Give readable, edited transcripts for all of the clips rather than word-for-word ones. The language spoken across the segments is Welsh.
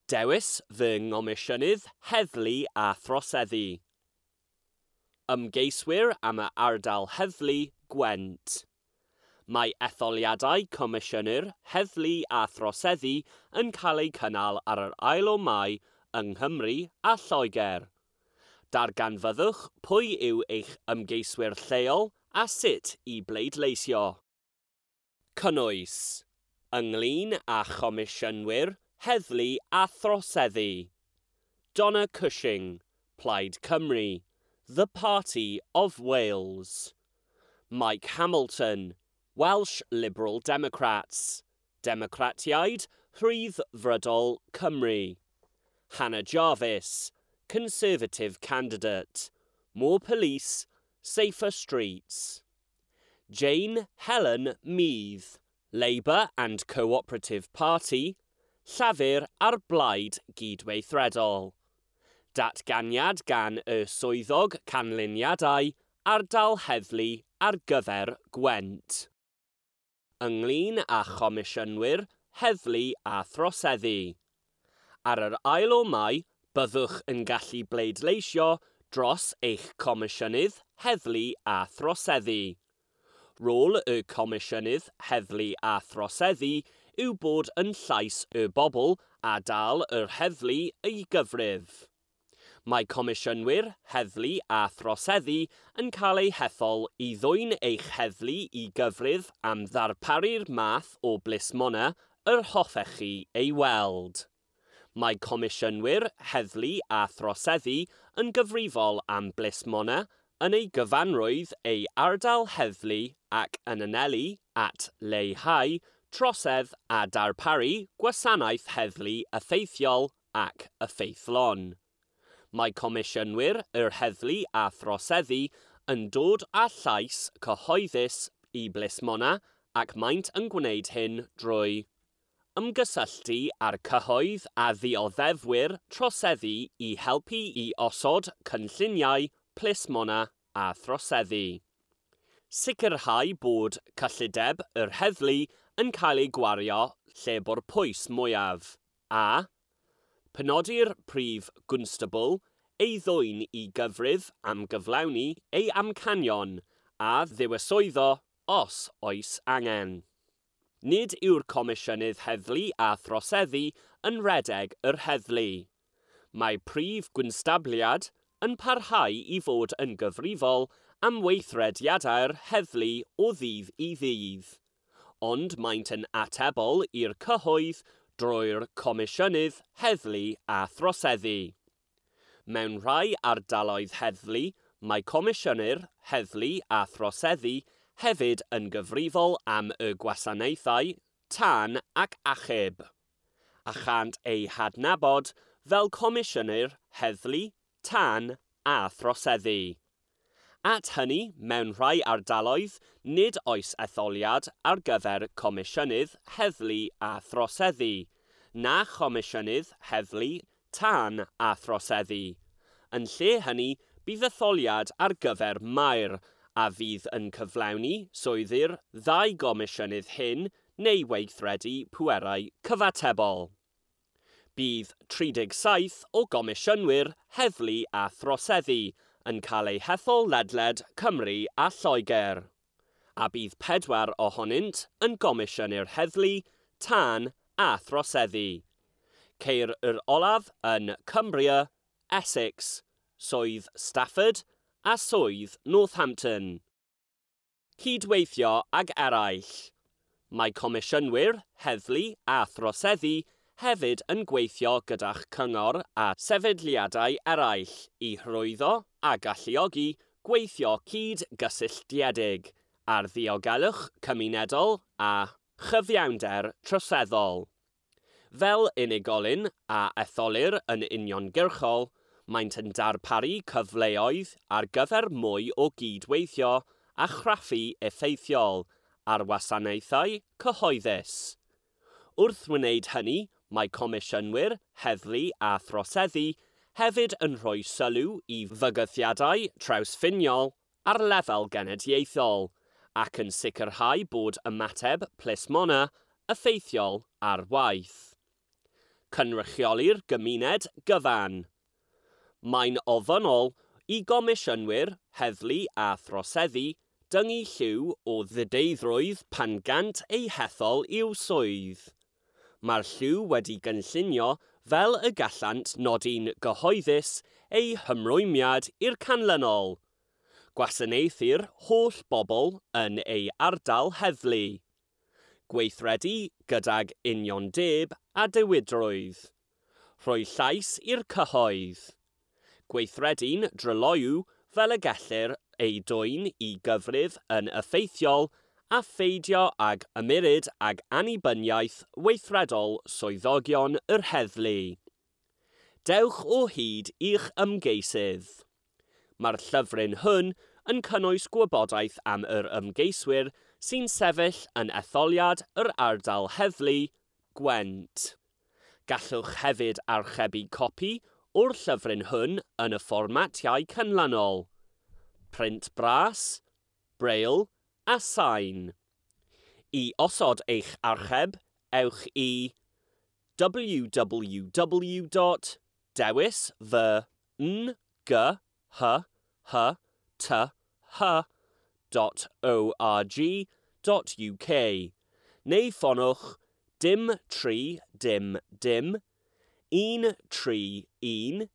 Dewis fy Ngomisiynydd Heddlu a Throseddu. Ymgeiswyr am y ardal heddlu Gwent. Mae etholiadau Comisiynwyr Heddlu a Throseddu yn cael eu cynnal ar yr 2 o Mai yng Nghymru a Lloegr. Darganfyddwch pwy yw eich ymgeiswyr lleol a sut i bleidleisio. Cynnwys. Ynglyn â Chomisiynwyr Heddlu a Throseddu. Donna Cushing, Plaid Cymru, The Party of Wales. Mike Hamilton, Welsh Liberal Democrats, Democratiaid Rhyddfrydol Cymru. Hannah Jarvis, Conservative candidate, More Police, Safer Streets. Jane Helen Mead, Labour and Cooperative Party, Llafur a'r Blaid Gydweithredol. Datganiad gan y Swyddog Canlyniadau Ardal Heddlu ar gyfer Gwent. Ynglyn â Chomisiynwyr Heddlu a Throseddu. Ar yr 2 o Mai, byddwch yn gallu bleidleisio dros eich Comisiynydd Heddlu a Throseddu. Rôl y Comisiynydd Heddlu a Throseddu yw bod yn llais y bobl a dal yr heddlu i gyfrif. Mae Comisiynwyr Heddlu a Throseddu yn cael eu hethol i ddwyn eich heddlu i gyfrif am ddarparu'r math o blismona yr hoffech chi ei weld. Mae Comisiynwyr Heddlu a Throseddu yn gyfrifol am blismona yn ei gyfanrwydd ei ardal heddlu ac yn anelu at leihau trosedd a darparu gwasanaeth heddlu effeithiol ac effeithlon. Mae Comisiynwyr yr Heddlu a Throseddu yn dod â llais cyhoeddus i blismona ac maent yn gwneud hyn drwy ymgysylltu â'r cyhoedd a ddioddefwyr troseddu i helpu i osod cynlluniau plismona a throseddu. Sicrhau bod cyllideb yr heddlu yn cael ei gwario lle bo'r pwys mwyaf, a penodi'r prif gwnstabl ei ddwyn i gyfrif am gyflawni ei amcanion a ddiweswyddo os oes angen. Nid yw'r Comisiynydd Heddlu a Throseddu yn rhedeg yr heddlu. Mae prif gwnstabliad yn parhau i fod yn gyfrifol am weithrediadau'r heddlu o ddydd i ddydd, ond maent yn atebol i'r cyhoedd drwy'r Comisiynydd Heddlu a Throseddu. Mewn rhai ardaloedd heddlu, mae Comisiynwyr Heddlu a Throseddu hefyd yn gyfrifol am y gwasanaethau tân ac achub, a chant eu hadnabod fel Comisiynwyr Heddlu, Tân a Throseddu. At hynny, mewn rhai ardaloedd, nid oes etholiad ar gyfer Comisiynydd Heddlu a Throseddu, na Chomisiynydd Heddlu, Tân a Throseddu. Yn lle hynny, bydd etholiad ar gyfer maer, a fydd yn cyflawni swyddi'r ddau gomisiynydd hyn neu weithredu pwerau cyfatebol. Bydd 37 o gomisiynwyr heddlu a throseddu yn cael eu hethol ledled Cymru a Lloegr, a bydd 4 ohonynt yn gomisiynwyr heddlu, tân a throseddu. Ceir yr olaf yn Cumbria, Essex, Swydd Stafford a Swydd Northampton. Cydweithio ag eraill. Mae Comisiynwyr Heddlu a Throseddu hefyd yn gweithio gyda'ch cyngor a sefydliadau eraill i hyrwyddo a galluogi gweithio cyd-gysylltiedig ar ddiogelwch cymunedol a chyfiawnder troseddol. Fel unigolyn a etholir yn uniongyrchol, maent yn darparu cyfleoedd ar gyfer mwy o gydweithio a chraffu effeithiol ar wasanaethau cyhoeddus. Wrth wneud hynny, mae Comisiynwyr Heddlu a Throseddu hefyd yn rhoi sylw i fygythiadau trawsffiniol ar lefel genedlaethol ac yn sicrhau bod ymateb plismona effeithiol ar waith. Cynrychioli'r gymuned gyfan. Mae'n ofynnol i gomisiynwyr, heddlu a throseddu dyngu lliw o ddideiddrwydd pan gant eu hethol i'w swydd. Mae'r lliw wedi gynllunio fel y gallant nodi'n gyhoeddus eu hymrwymiad i'r canlynol. Gwasanaethu'r holl bobl yn ei ardal heddlu. Gweithredu gydag uniondeb a dewidrwydd. Rhoi llais i'r cyhoedd. Gweithredu'n dryloyw fel y gellir ei dwyn i gyfrif yn effeithiol a pheidio ag ymyrryd ag annibyniaeth weithredol swyddogion yr heddlu. Dewch o hyd i'ch ymgeisydd. Mae'r llyfryn hwn yn cynnwys gwybodaeth am yr ymgeiswyr sy'n sefyll yn etholiad yr ardal heddlu, Gwent. Gallwch hefyd archebu copi o'r llyfryn hwn yn y fformatiau canlynol: print bras, braille a sain. I osod eich archeb, ewch i www.dewisfynghyhyth.org.uk neu ffonwch dim 3 dim dim 1 3 1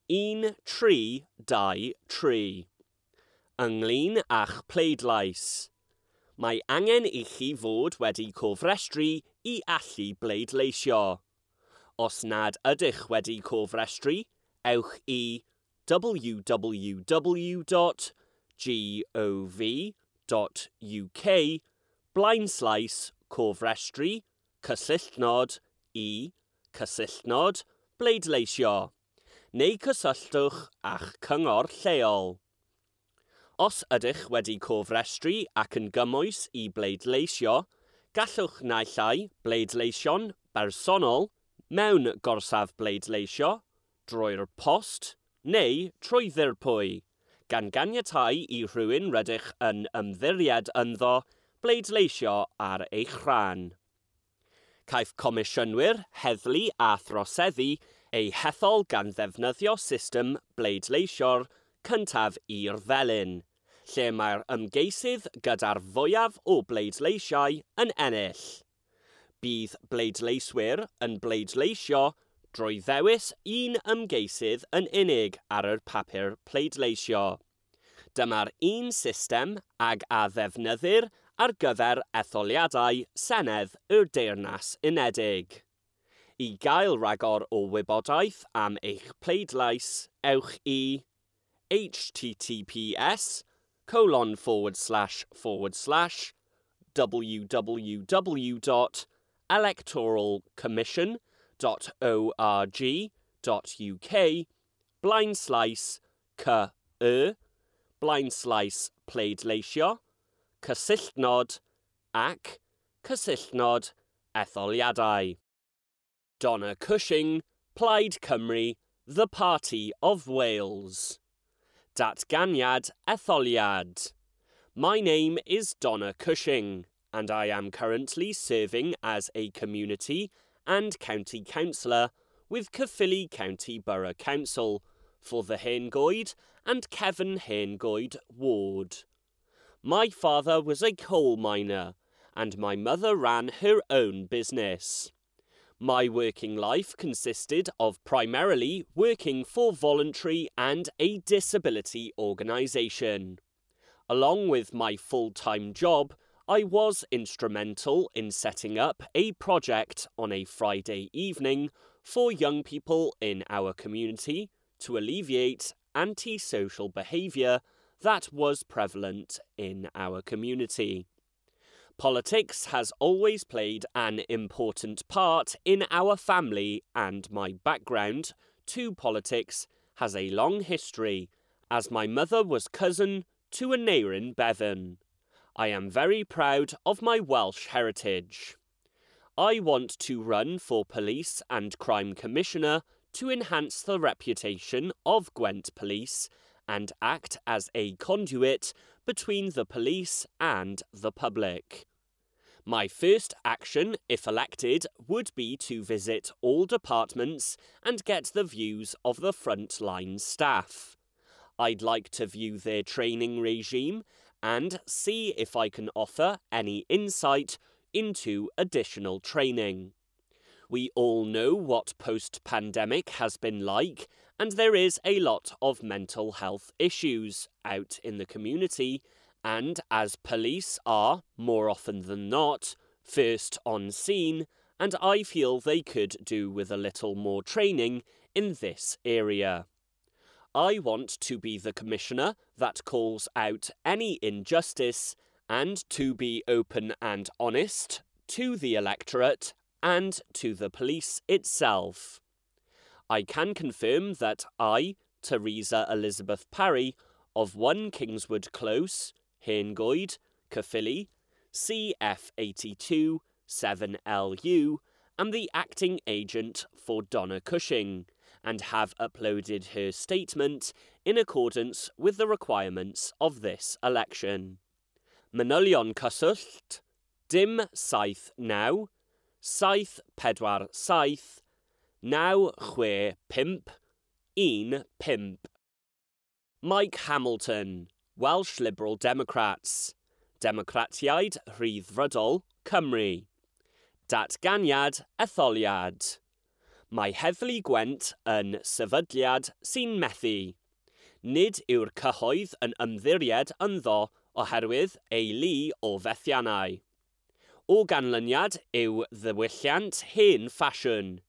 1 3 2 3. Ynglyn â'ch pleidlais. Mae angen i chi fod wedi cofrestru i allu bleidleisio. Os nad ydych wedi cofrestru, ewch i www.gov.uk blaenslaes cofrestru cysylltnod i cysylltnod bleidleisio neu cysylltwch â'ch cyngor lleol. Os ydych wedi cofrestru ac yn gymwys i bleidleisio, gallwch naill ai bleidleisio'n bersonol mewn gorsaf bleidleisio, drwy'r post neu trwy ddirpwy, gan ganiatáu i rhywun rydych yn ymddiried ynddo bleidleisio ar eich rhan. Caiff comisiynwyr, heddlu a throseddu eu hethol gan ddefnyddio system bleidleisio'r cyntaf i'r felin, lle mae'r ymgeisydd gyda'r fwyaf o bleidleisiau yn ennill. Bydd bleidleiswyr yn bleidleisio drwy ddewis un ymgeisydd yn unig ar yr papur pleidleisio. Dyma'r un system ag a ddefnyddir ar gyfer etholiadau Senedd y Deyrnas Unedig. I gael rhagor o wybodaeth am eich pleidlais, ewch i https://www.electoralcommission.org.uk blaenslaes cy blaenslaes pleidleisio, cysylltnod ac cysylltnod etholiadau. Donna Cushing, Plaid Cymru, The Party of Wales. Datganiad Etholiad. My name is Donna Cushing, and I am currently serving as a community and county councillor with Caerphilly County Borough Council for the Hengoed and Cefn Hengoed ward. My father was a coal miner, and my mother ran her own business. My working life consisted of primarily working for voluntary and a disability organisation. Along with my full-time job, I was instrumental in setting up a project on a Friday evening for young people in our community to alleviate antisocial behaviour that was prevalent in our community. Politics has always played an important part in our family, and my background to politics has a long history, as my mother was cousin to Aneurin Bevan. I am very proud of my Welsh heritage. I want to run for Police and Crime Commissioner to enhance the reputation of Gwent Police and act as a conduit between the police and the public. My first action, if elected, would be to visit all departments and get the views of the frontline staff. I'd like to view their training regime and see if I can offer any insight into additional training. We all know what post-pandemic has been like, and there is a lot of mental health issues out in the community, and as police are, more often than not, first on scene, and I feel they could do with a little more training in this area. I want to be the commissioner that calls out any injustice and to be open and honest to the electorate and to the police itself. I can confirm that I, Teresa Elizabeth Parry, of 1 Kingswood Close, Hengoed, Caerphilly, CF82 7LU, am the acting agent for Donna Cushing and have uploaded her statement in accordance with the requirements of this election. Manylion cyswllt, dim 7 9, 7 4 7, 9 6 5, 1 5. Mike Hamilton, Welsh Liberal Democrats, Democratiaid Rhyddfrydol, Cymru. Datganiad etholiad. Mae Heddlu Gwent yn sefydliad sy'n methu. Nid yw'r cyhoedd yn ymddiried ynddo oherwydd ei lu o fethiannau. O ganlyniad i'w ddiwylliant hen ffasiwn,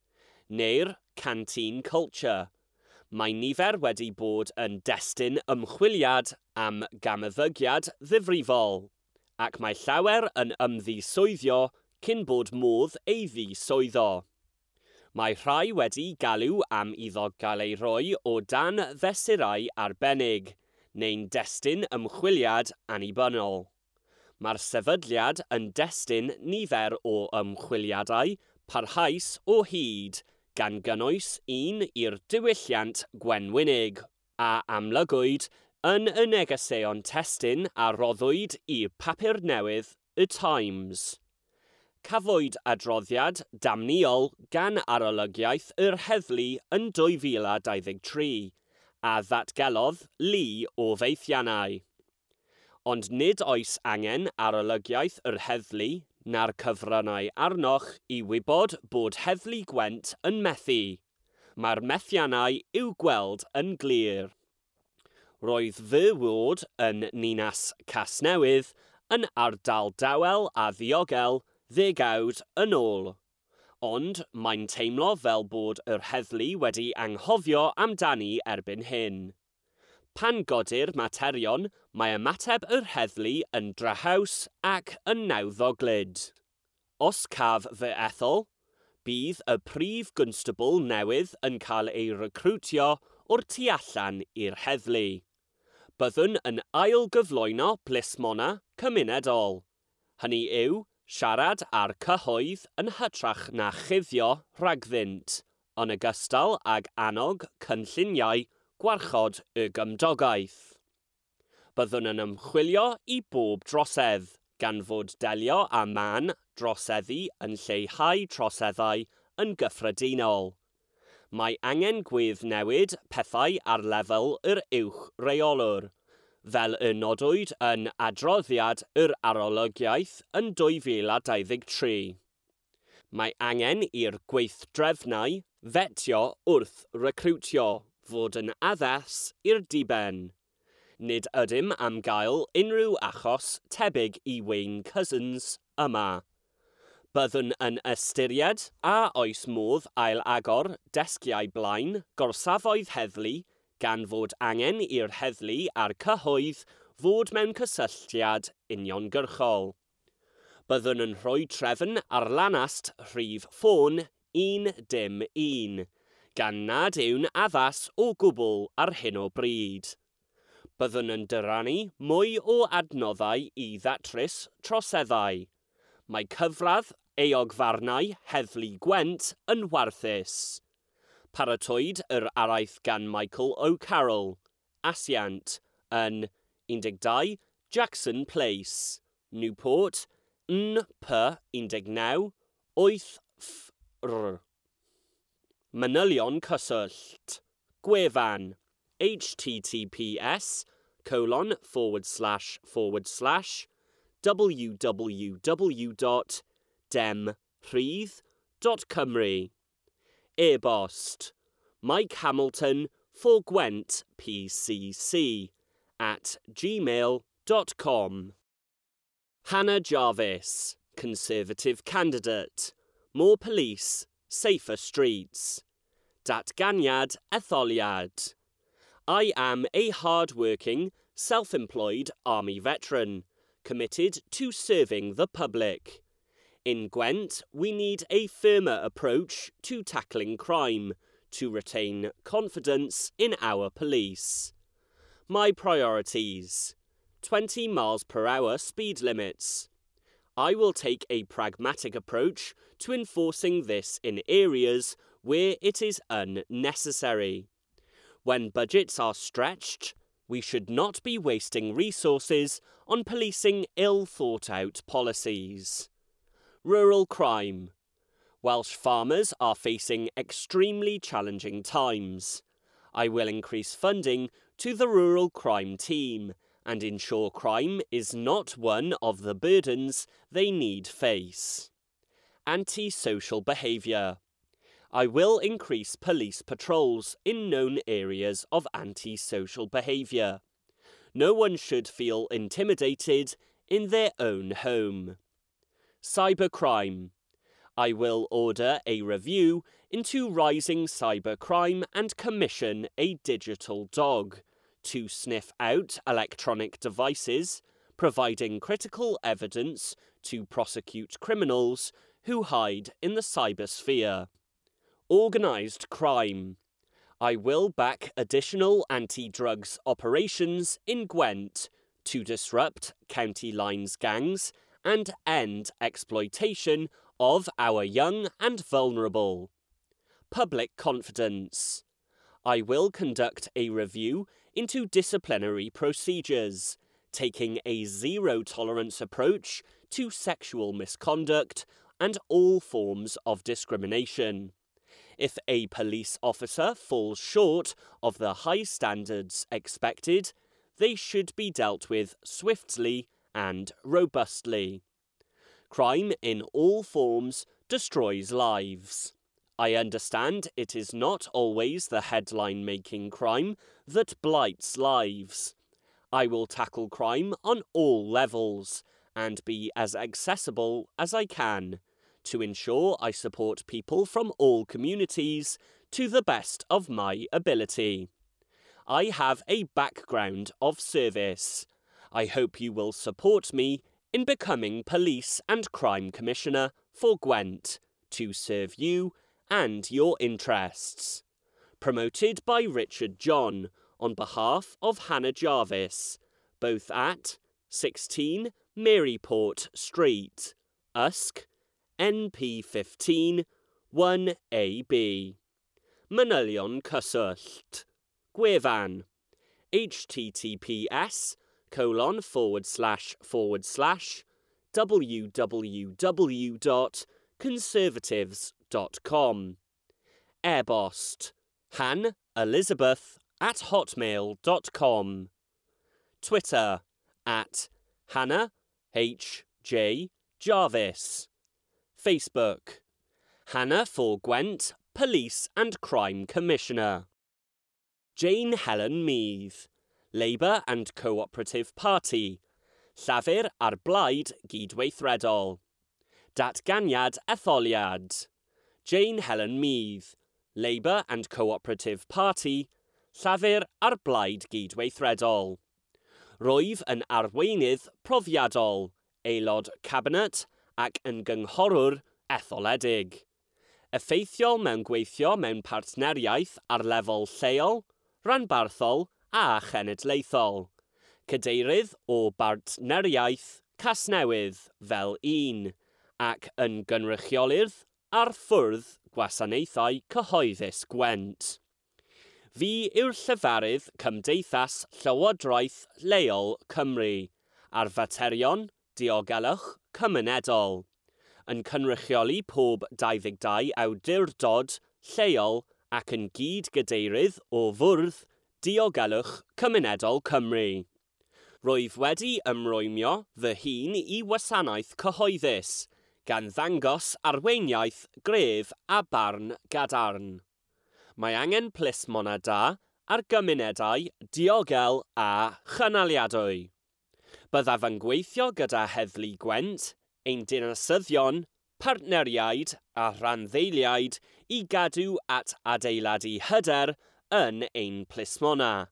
neu'r canteen culture. Mae nifer wedi bod yn destun ymchwiliad am gamymddygiad ddifrifol, ac mae llawer yn ymddiswyddo cyn bod modd ei ddiswyddo. Mae rhai wedi galw am iddo gael ei roi o dan fesurau arbennig, neu'n destun ymchwiliad annibynnol. Mae'r sefydliad yn destun nifer o ymchwiliadau parhaus o hyd, gan gynnwys un i'r diwylliant gwenwynig, a amlygwyd yn y negeseuon testun a roddwyd i'r papur newydd Y Times. Cafwyd adroddiad damniol gan arolygiaeth yr heddlu yn 2023, a ddatgelodd lu o fethiannau. Ond nid oes angen arolygiaeth yr heddlu na'r cyfryngau arnoch i wybod bod Heddlu Gwent yn methu. Mae'r methiannau i'w gweld yn glir. Roedd fy ward yn Ninas Casnewydd yn ardal dawel a ddiogel ddegawd yn ôl. Ond mae'n teimlo fel bod yr heddlu wedi anghofio amdani erbyn hyn. Pan godir materion, mae ymateb yr heddlu yn drahaus ac yn nawddoglyd. Os caf fy ethol, bydd y prif gwnstabl newydd yn cael ei recrwtio o'r tu allan i'r heddlu. Byddwn yn ail-gyflwyno plismona cymunedol. Hynny yw, siarad â'r cyhoedd yn hytrach na chuddio rhagddynt, yn ogystal ag annog cynlluniau gwarchod y gymdogaeth. Byddwn yn ymchwilio i bob drosedd, gan fod delio â mân droseddu yn lleihau troseddau yn gyffredinol. Mae angen gweddnewid pethau ar lefel yr uwch reolwr, fel y nodwyd yn adroddiad yr arolygiaeth yn 2023. Mae angen i'r gweithdrefnau fetio wrth recrwtio fod yn addas i'r diben. Nid ydym am gael unrhyw achos tebyg i Wayne Couzens yma. Byddwn yn ystyried a oes modd ail-agor desgiau blaen gorsafoedd heddlu gan fod angen i'r heddlu a'r cyhoedd fod mewn cysylltiad uniongyrchol. Byddwn yn rhoi trefn ar lanast rhif ffôn 101, gan nad yw'n addas o gwbl ar hyn o bryd. Byddwn yn dyrannu mwy o adnoddau i ddatrys troseddau. Mae cyfradd euogfarnau Heddlu Gwent yn warthus. Paratowyd yr araith gan Michael O'Carroll, asiant, yn 12 Jackson Place, Newport, NP19 8FR. Manylion cyswllt. Gwefan https://www.demrhydd.cymru. E-bost Mike Hamilton for Gwent PCC at gmail.com. Hannah Jarvis, Conservative candidate. More police, safer streets. Datganiad etholiad. I am a hard-working, self-employed army veteran, committed to serving the public. In Gwent, we need a firmer approach to tackling crime to retain confidence in our police. My priorities: 20 miles per hour speed limits. I will take a pragmatic approach to enforcing this in areas where it is unnecessary. When budgets are stretched, we should not be wasting resources on policing ill-thought-out policies. Rural crime. Welsh farmers are facing extremely challenging times. I will increase funding to the rural crime team and ensure crime is not one of the burdens they need face. Antisocial behaviour. I will increase police patrols in known areas of antisocial behaviour. No one should feel intimidated in their own home. Cybercrime. I will order a review into rising cybercrime and commission a digital dog to sniff out electronic devices, providing critical evidence to prosecute criminals who hide in the cybersphere. Organised crime. I will back additional anti-drugs operations in Gwent to disrupt county lines gangs and end exploitation of our young and vulnerable. Public confidence. I will conduct a review into disciplinary procedures, taking a zero-tolerance approach to sexual misconduct and all forms of discrimination. If a police officer falls short of the high standards expected, they should be dealt with swiftly and robustly. Crime in all forms destroys lives. I understand it is not always the headline-making crime that blights lives. I will tackle crime on all levels and be as accessible as I can to ensure I support people from all communities to the best of my ability. I have a background of service. I hope you will support me in becoming Police and Crime Commissioner for Gwent to serve you and your interests. Promoted by Richard John on behalf of Hannah Jarvis, both at 16 Maryport Street, Usk, NP15 1AB. Manylion cyswllt. Gwefan https://www.conservatives.com. E-bost hanelizabeth@hotmail.com. Twitter at Hannah H J Jarvis. Facebook Hannah for Gwent Police and Crime Commissioner. Jane Helen Meath, Labour and Cooperative Party, Llafur a'r Blaid Gydweithredol. Datganiad etholiad. Jane Helen Meath, Labour and Cooperative Party, Llafur a'r Blaid Gydweithredol. Rwyf yn arweinydd profiadol, aelod cabinet ac yn gynghorwr etholedig. Effeithiol mewn gweithio mewn partneriaeth ar lefel lleol, rhanbarthol a chenedlaethol. Cadeirydd o Bartneriaeth Casnewydd fel un, ac yn gynrychiolydd ar ffwrdd gwasanaethau cyhoeddus Gwent. Fi yw'r llefarydd Cymdeithas Llywodraeth Leol Cymru ar faterion Diogelwch Cymunedol, yn cynrychioli pob 22 awdurdod lleol ac yn gyd-gadeirydd o Fwrdd Diogelwch Cymunedol Cymru. Rwyf wedi ymrwymio fy hun i wasanaeth cyhoeddus, gan ddangos arweiniaeth gref a barn gadarn. Mae angen plismona da ar gymunedau diogel a chynaliadwy. Byddaf yn gweithio gyda Heddlu Gwent, ein dinasyddion, partneriaid a rhanddeiliaid i gadw at adeiladu hyder yn ein plismona,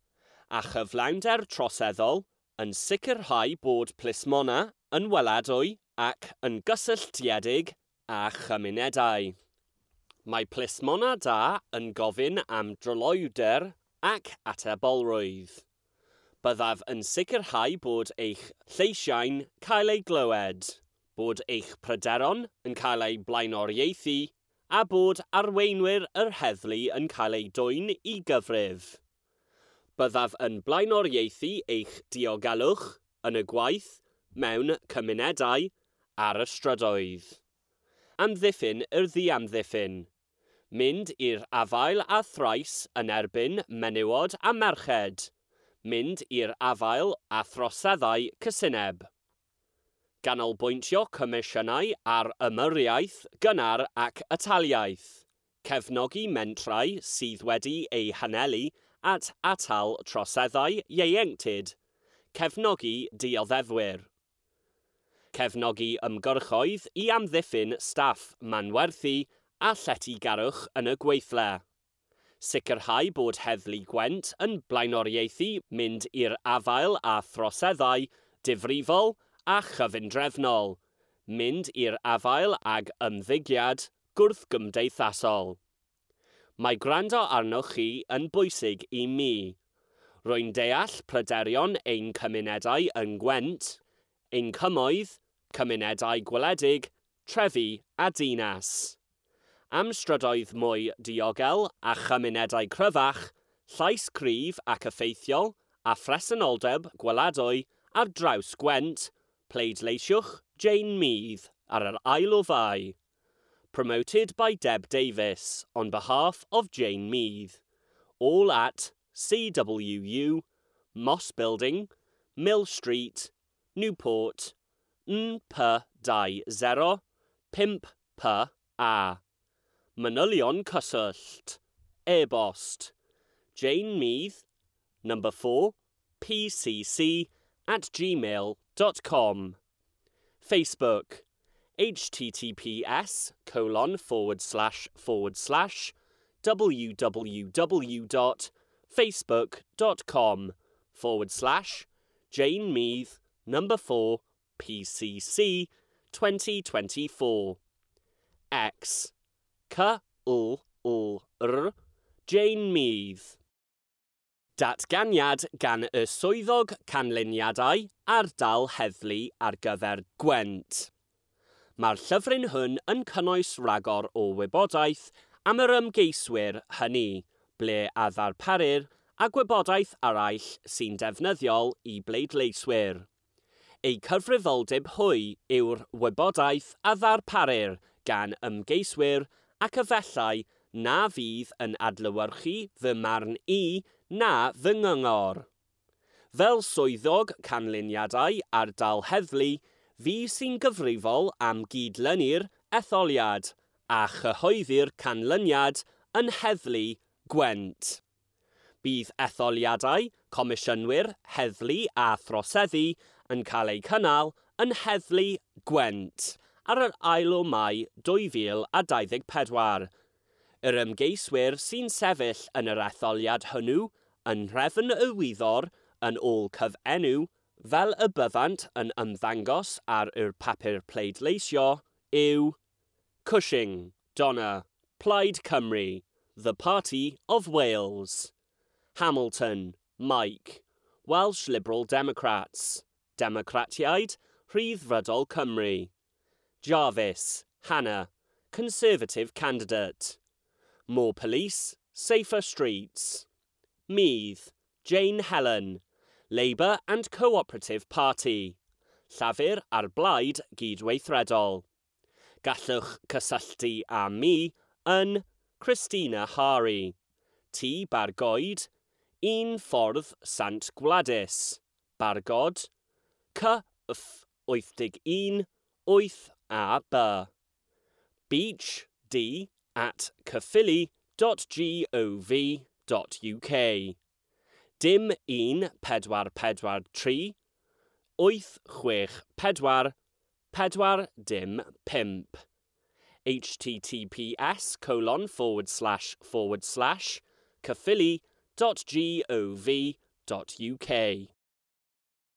a chyflawnder troseddol yn sicrhau bod plismona yn weladwy ac yn gysylltiedig â chymunedau. Mae plismona da yn gofyn am dryloywder ac atebolrwydd. Byddaf yn sicrhau bod eich lleisiau'n cael eu glywed, bod eich pryderon yn cael eu blaenoriaethu a bod arweinwyr yr heddlu yn cael eu dwyn i gyfrif. Byddaf yn blaenoriaethu eich diogelwch yn y gwaith, mewn cymunedau, ar y strydoedd. Amddiffyn yr ddiamddiffyn. Mynd i'r afael â thrais yn erbyn menywod a merched. Mynd i'r afael â throseddau cysineb. Ganolbwyntio comisiynau ar ymyriaeth gynnar ac ataliaeth. Cefnogi mentrau sydd wedi eu hanelu at atal troseddau ieuenctid. Cefnogi dioddefwyr. Cefnogi ymgyrchoedd i amddiffyn staff manwerthu a lletygarwch yn y gweithle. Sicrhau bod Heddlu Gwent yn blaenoriaethu mynd i'r afael â throseddau difrifol a chyfundrefnol, mynd i'r afael ag ymddygiad gwrthgymdeithasol. Mae gwrando arnoch chi yn bwysig i mi. Rwy'n deall pryderon ein cymunedau yng Ngwent, ein cymoedd, cymunedau gwledig, trefi a dinas. Am strydoedd mwy diogel a chymunedau cryfach, llais cryf ac effeithiol a phresenoldeb gweladwy ar draws Gwent, pleidleisiwch Jane Mead ar yr ail o Fai. Promoted by Deb Davies on behalf of Jane Mead. All at CWU, Moss Building, Mill Street, Newport, NP20 5PA. Manylion cyswllt. E-bost. Jane Mead, number 4, pcc at gmail.com. Facebook. https://www.facebook.com / Jane Mead, number 4, PCC 2024. X. C L L R Jane Mead. Datganiad gan y swyddog canlyniadau ardal heddlu ar gyfer Gwent. Mae'r llyfryn hwn yn cynnwys rhagor o wybodaeth am yr ymgeiswyr hynny, ble a ddarparir a gwybodaeth arall sy'n defnyddiol i bleidleiswyr. Eu cyfrifoldeb hwy yw'r wybodaeth a ddarparir gan ymgeiswyr ac efallai na fydd yn adlewyrchu fy marn i na fy nghyngor. Fel swyddog canlyniadau ardal heddlu, fi sy'n gyfrifol am gydlynu'r etholiad a chyhoeddi'r canlyniad yn Heddlu Gwent. Bydd etholiadau, comisiynwyr, heddlu a throseddu yn cael eu cynnal yn Heddlu Gwent ar yr ail o Mai 2024. Yr ymgeiswyr sy'n sefyll yn yr etholiad hwnnw yn nhrefn y wyddor yn ôl cyfenw fel y byddant yn ymddangos ar yr papur pleidleisio yw Cushing, Donna, Plaid Cymru, The Party of Wales. Hamilton, Mike, Welsh Liberal Democrats, Democratiaid Rhyddfrydol Cymru. Jarvis, Hannah, Conservative candidate. More police, safer streets. Meath, Jane Helen, Labour and Cooperative Party. Llafur a'r Blaid Gydweithredol. Gallwch cysylltu â mi yn Christina Harry, T Bargoed, 1 Ffordd Sant Gwladys, Bargod, C F 81 8 A B. Beach D at caerphilly.gov.uk. Dim 1 4 4 3 8 6 4 4 dim 5. https://caerphilly.gov.uk.